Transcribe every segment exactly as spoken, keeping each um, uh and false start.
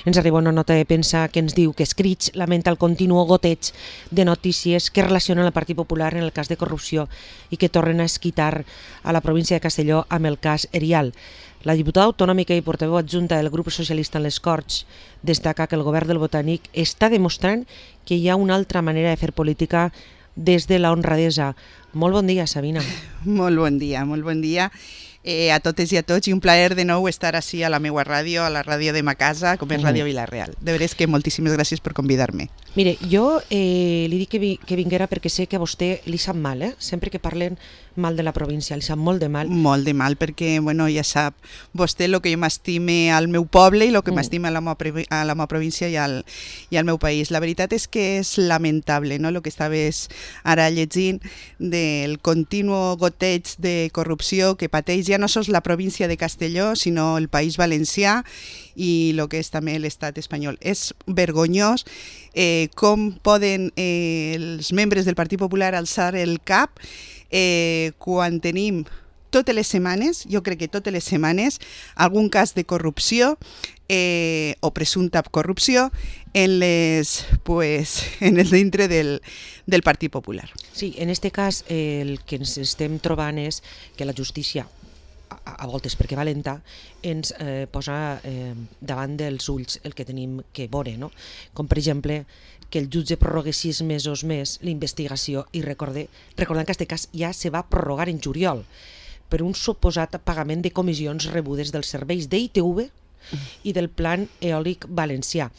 Ens arriba una nota de premsa que ens diu que Escrits lamenta el continu goteig de notícies que relacionen el Partit Popular en el cas de corrupció i que tornen a esquitar a la província de Castelló amb el cas Erial. La diputada autonòmica i portaveu adjunta del grup socialista en les Corts destaca que el govern del Botànic està demostrant que hi ha una altra manera de fer política des de la honradesa. Molt bon dia, Sabina. Molt bon dia, molt bon dia eh, a totes i a tots, i un plaer de nou estar així a la meva ràdio, a la ràdio de ma casa, com és Ràdio Vila-real. De veres que moltíssimes gràcies per convidar-me. Mire, jo eh, li dic que, vi, que vinguera perquè sé que a vostè li sap mal, eh? Sempre que parlen mal de la província, li sap molt de mal. Molt de mal, perquè, bueno, ja sap vostè el que jo m'estime al meu poble i el que Mm. m'estime a la meva a la meva província i al, i al meu país. La veritat és que és lamentable, no?, el que estaves ara llegint del continu goteig de corrupció que pateix ja no sols la província de Castelló, sinó el País Valencià i el que és també l'estat espanyol. És vergonyós eh, com poden eh, els membres del Partit Popular alçar el cap eh, quan tenim totes les setmanes, jo crec que totes les setmanes, algun cas de corrupció eh, o presumpta corrupció en les, pues, en el dintre del, del Partit Popular. Sí, en este cas eh, el que ens estem trobant és que la justícia, a, a voltes perquè va lenta, ens eh, posa eh, davant dels ulls el que tenim que veure, no? Com per exemple que el jutge prorrogue sis mesos més l'investigació i recorde, recordant que aquest cas ja se va prorrogar en juliol per un suposat pagament de comissions rebudes dels serveis d'I T V i del Plan Eòlic Valencià.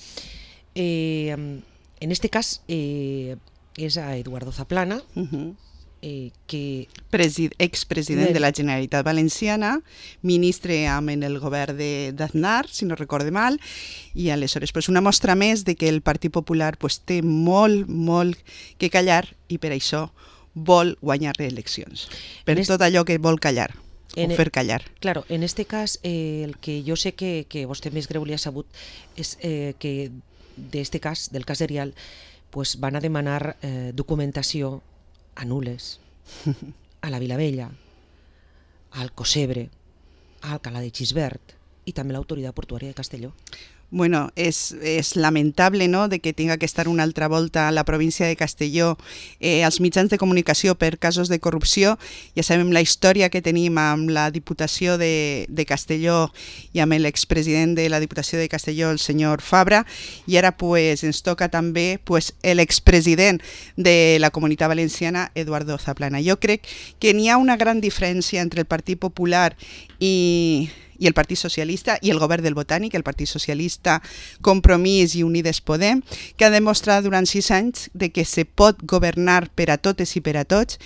Eh, en este cas eh, és a Eduardo Zaplana, Uh-huh. eh, que Presid expresident de la Generalitat Valenciana, ministre amb en el govern d'Aznar, si no recorde mal, i aleshores pues, una mostra més de que el Partit Popular pues, té molt, molt que callar i per això vol guanyar eleccions. Per En est- tot allò que vol callar, En o e- fer callar. Claro, en este cas, eh, el que jo sé que, que vostè més greu li ha sabut és eh, que d'este cas, del cas Erial, pues van a demanar eh, documentació a Nules, a la Vilavella, al Cosebre, a Alcalá de Xisbert i també l'autoritat portuària de Castelló. Bueno, és, és lamentable, no?, de que tinga que estar una altra volta a la província de Castelló eh, als mitjans de comunicació per casos de corrupció. Ja sabem la història que tenim amb la Diputació de, de Castelló i amb l'expresident de la Diputació de Castelló, el senyor Fabra, i ara pues, ens toca també pues, l'expresident de la Comunitat Valenciana, Eduardo Zaplana. Jo crec que n'hi ha una gran diferència entre el Partit Popular i... i el Partit Socialista i el govern del Botànic, el Partit Socialista, Compromís i Unides Podem, que ha demostrat durant sis anys de que se pot governar per a totes i per a tots,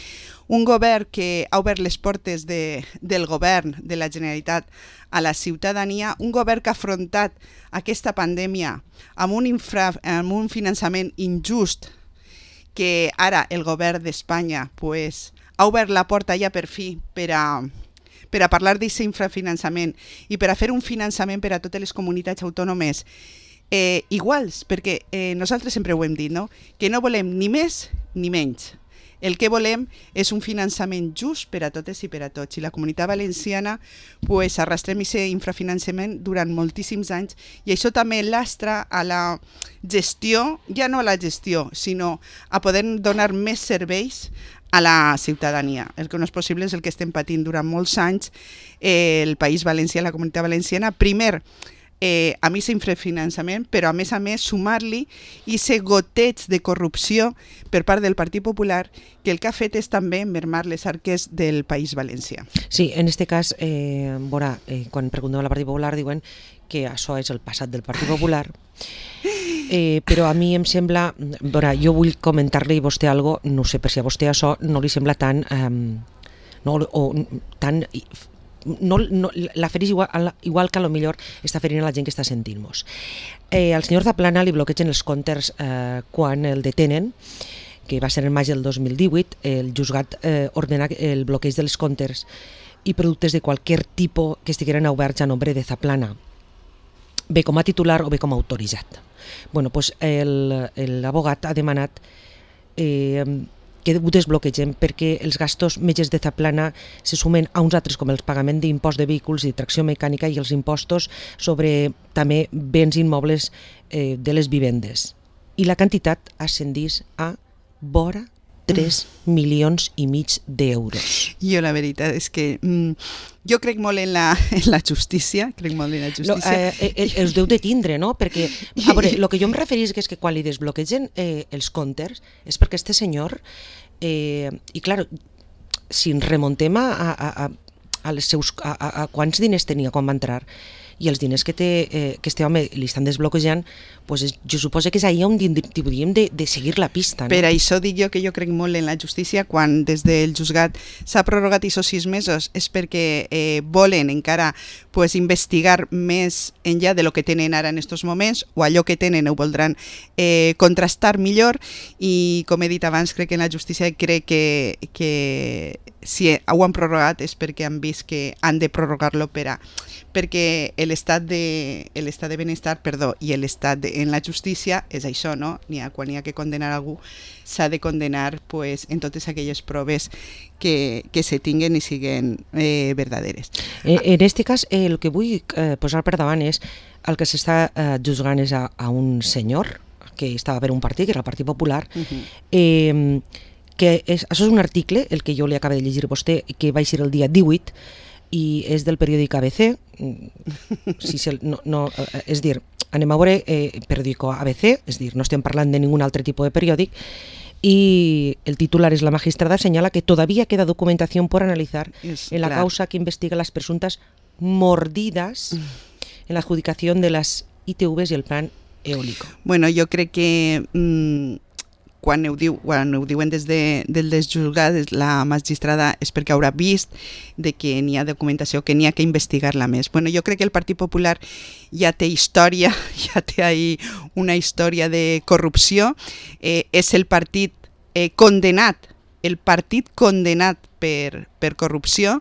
un govern que ha obert les portes de, del govern de la Generalitat a la ciutadania, un govern que ha afrontat aquesta pandèmia amb un, infra, amb un finançament injust, que ara el govern d'Espanya pues, ha obert la porta ja per fi per a per a parlar d'aquest infrafinançament i per a fer un finançament per a totes les comunitats autònomes eh, iguals, perquè eh, nosaltres sempre ho hem dit, no?, que no volem ni més ni menys. El que volem és un finançament just per a totes i per a tots. I la Comunitat Valenciana pues, arrastrem aquest infrafinançament durant moltíssims anys i això també lastra a la gestió, ja no a la gestió, sinó a poder donar més serveis a la ciutadania. El que no és possible és el que estem patint durant molts anys eh, el País Valencià, la Comunitat Valenciana. Primer, eh, amb aquest infrafinançament, però a més a més sumar-li aquest goteig de corrupció per part del Partit Popular, que el que ha fet és també mermar les arques del País Valencià. Sí, en este cas, eh, veurà, eh, quan preguntem al Partit Popular diuen que això és el passat del Partit Popular, eh, però a mi em sembla, veurà, jo vull comentar-li a vostè algo, no sé per si a vostè això no li sembla tan, eh, no, o tan, no, no, la fereix igual, igual que a lo millor està ferint a la gent que està sentint-nos. Eh, al senyor Zaplana li bloquegen els comptes eh, quan el detenen, que va ser en maig del dos mil divuit, el juzgat eh, ordena el bloqueig dels comptes i productes de qualsevol tipus que estigueren oberts a nombre de Zaplana, bé com a titular o bé com a autoritzat. Bueno, pues l'abogat ha demanat eh, que ho desbloquegem, perquè els gastos metges de Zaplana se sumen a uns altres com el pagament d'impost de vehicles i tracció mecànica i els impostos sobre també béns immobles eh, de les vivendes. I la quantitat ascendís a vora tres milions i mig d'euros. Jo la veritat és que mm, jo crec molt en la, en la justícia, crec molt en la justícia. No, eh, eh, els deu de tindre, no? Perquè, a veure, el que jo em referís és que quan li desbloquegen eh, els comptes és perquè este senyor, eh, i clar, si ens remontem a, a, a, a, les seus, a, a, a quants diners tenia quan va entrar, i els diners que, té, eh, que este home li estan desbloquejant, pues és, jo suposo que és ahir on hauríem de, de seguir la pista. No? Per això dic jo que jo crec molt en la justícia. Quan des del juzgat s'ha prorrogat aquests sis mesos és perquè eh, volen encara pues, investigar més enllà de lo que tenen ara en aquests moments, o allò que tenen ho voldran eh, contrastar millor, i com he dit abans, crec que en la justícia crec que, que si ho han prorrogat és perquè han vist que han de prorrogar-lo per a perquè l'estat de, l'estat de benestar perdó, i l'estat de, en la justícia és això, no? N'hi ha, quan hi ha que condenar algú s'ha de condenar pues, en totes aquelles proves que, que se tinguen i siguen eh, verdaderes. En, en este cas, eh, el que vull eh, posar per davant és el que s'està eh, juzgant és a, a un senyor que estava per un partit, que era el Partit Popular, uh-huh. eh, que és, això és un article, el que jo li acabo de llegir a vostè, que va ser el dia divuit, i és del periòdic A B C, si se, no, no, és dir, anem a veure eh, periòdico A B C, és dir, no estem parlant de ningun altre tipus de periòdic, y el titular es: la magistrada señala que todavía queda documentación por analizar es, en la claro. causa que investiga las presuntas mordidas en la adjudicación de las I T Vs y el plan eólico. Bueno, jo crec que mmm, quan ho, diu, quan ho diuen des de, del desjuzgat la magistrada és perquè haurà vist de que n'hi ha documentació, que n'hi ha que investigar-la més. Bueno, jo crec que el Partit Popular ja té història, ja té ahí una història de corrupció, eh, és el partit eh, condenat, el partit condenat per, per corrupció,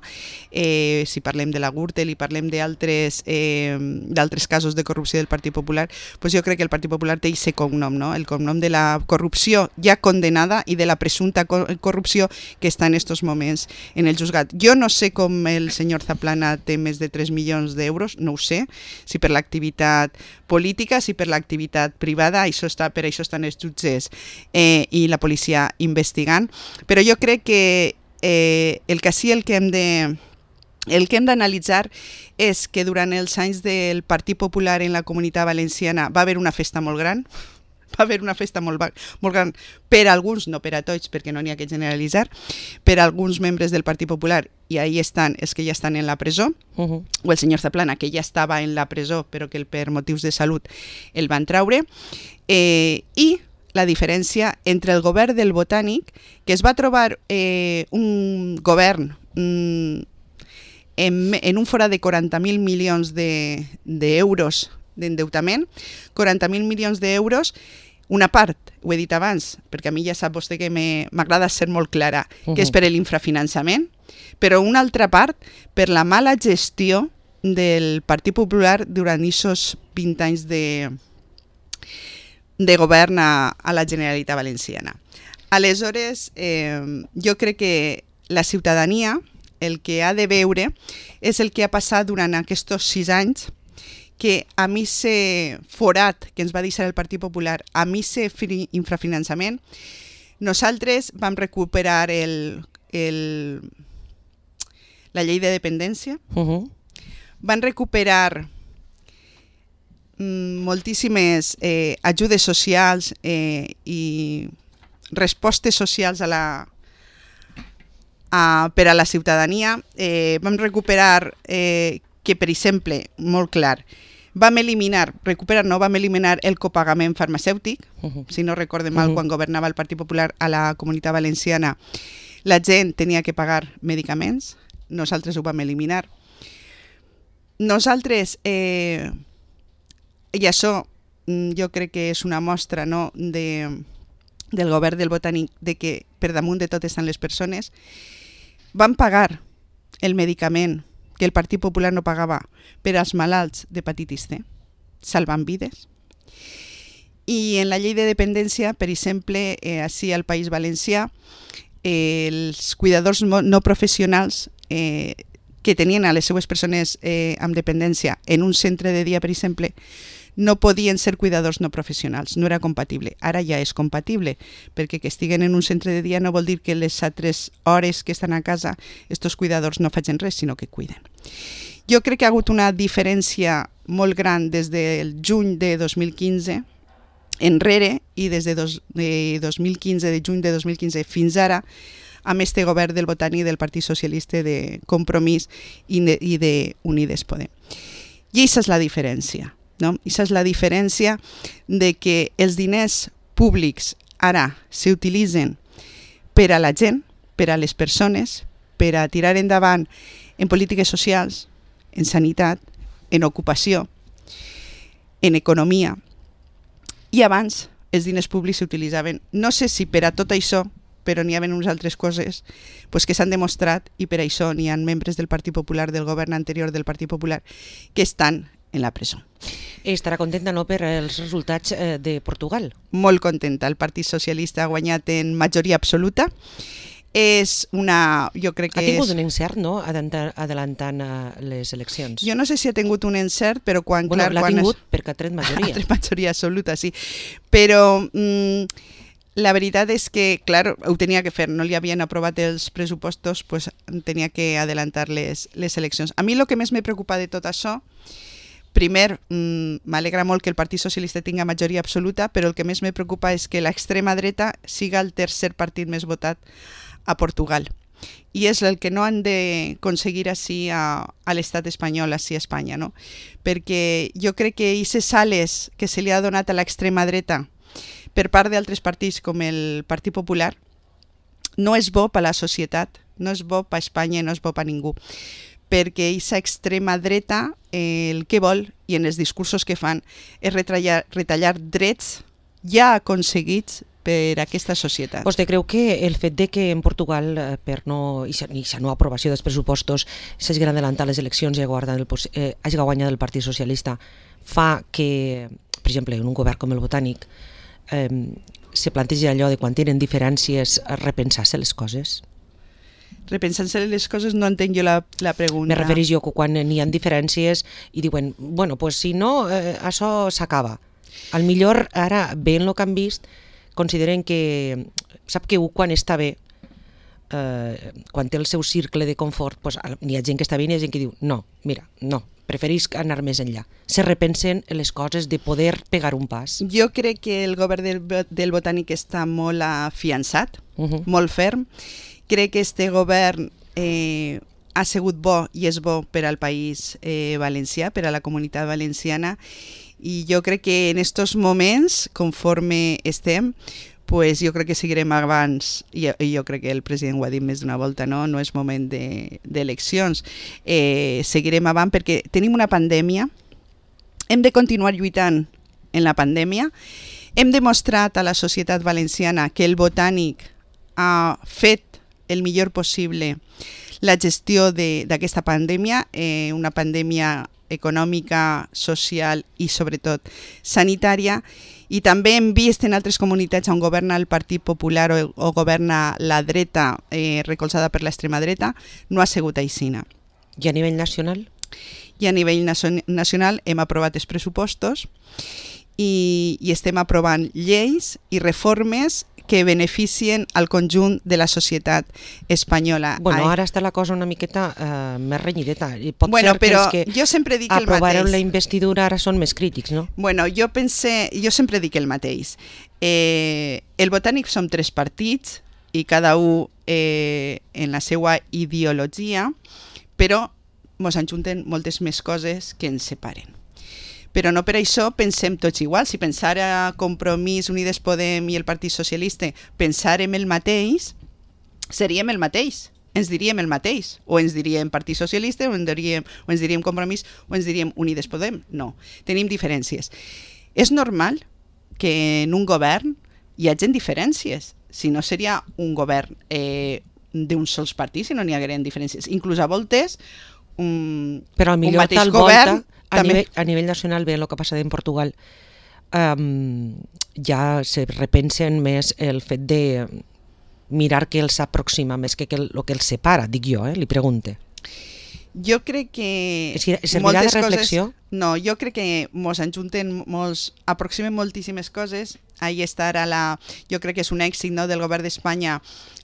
eh, si parlem de la Gürtel i parlem d'altres eh, d'altres casos de corrupció del Partit Popular, pues jo crec que el Partit Popular té aquest cognom, no? El cognom de la corrupció ja condenada i de la presumpta corrupció que està en aquests moments en el juzgat. Jo no sé com el senyor Zaplana té més de tres milions d'euros, no ho sé, si per l'activitat política, si per l'activitat privada, això està, per això estan els jutges eh, i la policia investigant, però jo crec que Eh, el que sí el que hem de el que hem d'analitzar és que durant els anys del Partit Popular en la Comunitat Valenciana va haver una festa molt gran, va haver una festa molt, molt gran per a alguns, no per a tots, perquè no n'hi ha que generalitzar, per a alguns membres del Partit Popular, i ahí estan els que ja estan en la presó, uh-huh. o el senyor Zaplana, que ja estava en la presó però que per motius de salut el van traure, eh, i la diferència entre el govern del Botànic, que es va trobar eh, un govern mm, en, en un forat de quaranta mil milions d'euros de, d'endeutament, quaranta mil milions d'euros, una part, ho he dit abans, perquè a mi ja sap vostè que m'agrada ser molt clara, uh-huh. que és per l'infrafinançament, però una altra part per la mala gestió del Partit Popular durant aquests vint anys de... de govern a, a la Generalitat Valenciana. Aleshores, eh, jo crec que la ciutadania el que ha de veure és el que ha passat durant aquests sis anys, que a mi se forat que ens va deixar el Partit Popular, a mi se infrafinançament, nosaltres vam recuperar el, el, la llei de dependència, uh-huh. van recuperar moltíssimes eh, ajudes socials eh, i respostes socials a la, a, per a la ciutadania. Eh, vam recuperar eh, que, per exemple, molt clar, vam eliminar, recuperar no, vam eliminar el copagament farmacèutic, uh-huh. si no recorde mal, uh-huh. quan governava el Partit Popular a la Comunitat Valenciana, la gent tenia que pagar medicaments, nosaltres ho vam eliminar. Nosaltres... Eh, I això jo crec que és una mostra, no, de, del govern del Botànic, de que per damunt de tot estan les persones. Van pagar el medicament que el Partit Popular no pagava per als malalts d'hepatitis C, salvant vides. I en la llei de dependència, per exemple, eh, així al País Valencià, eh, els cuidadors no professionals eh, que tenien a les seues persones eh, amb dependència en un centre de dia, per exemple, no podien ser cuidadors no professionals, no era compatible. Ara ja és compatible, perquè que estiguen en un centre de dia no vol dir que les altres hores que estan a casa estos cuidadors no facin res, sinó que cuiden. Jo crec que ha hagut una diferència molt gran des del juny de dos mil quinze enrere i des de, dos, de dos mil quinze, de juny de dos mil quinze fins ara, amb este govern del Botànic del Partit Socialista de Compromís i de, i de Unides Podem. I aquesta és la diferència, no? Aquesta és la diferència de que els diners públics ara s'utilitzen per a la gent, per a les persones, per a tirar endavant en polítiques socials, en sanitat, en ocupació, en economia. I abans els diners públics s'utilitzaven, no sé si per a tot això, però n'hi ha unes altres coses pues, que s'han demostrat i per això n'hi ha membres del Partit Popular, del govern anterior del Partit Popular, que estan en la presó. Estarà contenta, no, per els resultats eh, de Portugal? Molt contenta. El Partit Socialista ha guanyat en majoria absoluta. És una... Jo crec que ha tingut és... un encert, no?, adelantant uh, les eleccions. Jo no sé si ha tingut un encert, però quan... Bueno, clar, l'ha quan tingut es... perquè ha tret majoria. Ha tret majoria absoluta, sí. Però mm, la veritat és que, clar, ho tenia que fer. No li havien aprovat els pressupostos, pues tenia que adelantar les, les eleccions. A mi el que més me preocupa de tot això, primer, mm, m'alegra molt que el Partit Socialista tinga majoria absoluta, però el que més me preocupa és que l'extrema dreta siga el tercer partit més votat a Portugal. I és el que no han d'aconseguir així a, a l'estat espanyol, així a Espanya, no? Perquè jo crec que aquestes sales que se li ha donat a l'extrema dreta per part d'altres partits com el Partit Popular no és bo per a la societat, no és bo per a Espanya i no és bo per a ningú. Perquè aquesta extrema dreta eh, el que vol, i en els discursos que fan, és retallar, retallar drets ja aconseguits per aquesta societat. Vostè creu que el fet de que en Portugal, eh, per no, i la no aprovació dels pressupostos, s'hagin adelantat les eleccions i el, eh, hagi guanyat el Partit Socialista, fa que, per exemple, en un govern com el Botànic, eh, se planteja allò de quan tenen diferències repensar-se les coses? Repensant-se les coses no entenc jo la, la pregunta. Me refereix jo que quan n'hi ha diferències i diuen, bueno, pues si no, eh, això s'acaba. Al millor ara, veient el que han vist, consideren que, sap que quan està bé, eh, quan té el seu cercle de confort, pues, hi ha gent que està bé i hi ha gent que diu, no, mira, no, preferís anar més enllà. Se repensen les coses de poder pegar un pas. Jo crec que el govern del, del Botànic està molt afiançat, uh -huh. molt ferm. Crec que este govern eh, ha sigut bo i és bo per al país eh, valencià, per a la comunitat valenciana, i jo crec que en estos moments, conforme estem, pues jo crec que seguirem abans, i jo crec que el president ho ha dit més d'una volta, no, no és moment d'eleccions, de, eh, seguirem avant perquè tenim una pandèmia, hem de continuar lluitant en la pandèmia, hem demostrat a la societat valenciana que el Botànic ha fet el millor possible la gestió d'aquesta pandèmia, eh, una pandèmia econòmica, social i sobretot sanitària, i també hem vist en altres comunitats on governa el Partit Popular o, o governa la dreta eh, recolzada per l'extrema dreta, no ha sigut aixina. I a nivell nacional? I a nivell nacional hem aprovat els pressupostos i, i estem aprovant lleis i reformes que beneficien al conjunt de la societat espanyola. Bueno, ara està la cosa una miqueta uh, més renyideta. I pot bueno, ser que però els que jo sempre dic el mateix. Aprovaran la investidura ara són més crítics, no? Bueno, jo pense, jo sempre dic el mateix. Eh, el Botànic som tres partits i cada un eh, en la seva ideologia, però ens ajunten moltes més coses que ens separen. Però no per això pensem tots igual. Si pensara Compromís, Unides Podem i el Partit Socialista pensàrem el mateix, seríem el mateix, ens diríem el mateix, o ens diríem Partit Socialista, o ens diríem, o ens diríem Compromís, o ens diríem Unides Podem. No, tenim diferències. És normal que en un govern hi hagi diferències, si no seria un govern eh, d'un sols partit, si no n'hi hagueren diferències. Inclús a voltes, un, Però un millor mateix tal govern... Volta, a, també... nivell, a nivell nacional, veient el que passa en Portugal, um, ja se repensen més el fet de mirar que els aproxima més que el que els separa, dic jo, eh? Li pregunte. Jo crec que... Servirà de reflexió? Coses, no, jo crec que mos enjunten molts, aproximen moltíssimes coses. Ahí està ara la... Jo crec que és un èxit, no, del govern d'Espanya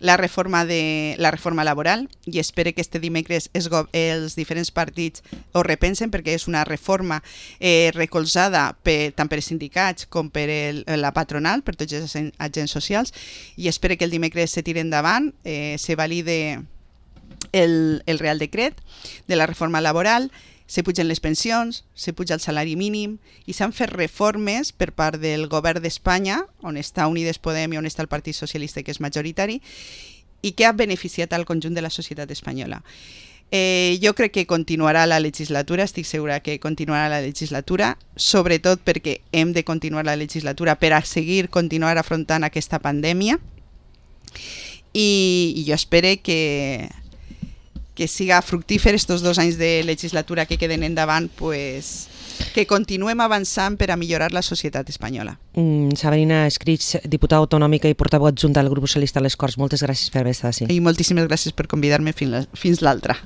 la reforma de la reforma laboral, i espero que este dimecres els, els diferents partits ho repensen, perquè és una reforma eh, recolzada per, tant per sindicats com per el, la patronal, per tots els agents socials, i espero que el dimecres se tiri endavant, eh, se valide El, el Real Decret de la reforma laboral, se pugen les pensions, se puja el salari mínim i s'han fet reformes per part del govern d'Espanya, on està Unides Podem i on està el Partit Socialista, que és majoritari, i que ha beneficiat al conjunt de la societat espanyola. Eh, jo crec que continuarà la legislatura, estic segura que continuarà la legislatura, sobretot perquè hem de continuar la legislatura per a seguir continuar afrontant aquesta pandèmia, i, i jo espero que que siga fructífer estos dos anys de legislatura que queden endavant, pues, que continuem avançant per a millorar la societat espanyola. Mm, Sabrina Escrig, diputada autonòmica i portaveu adjunta del grup socialista a les Corts, moltes gràcies per haver estat així. I moltíssimes gràcies per convidar-me fins l'altra.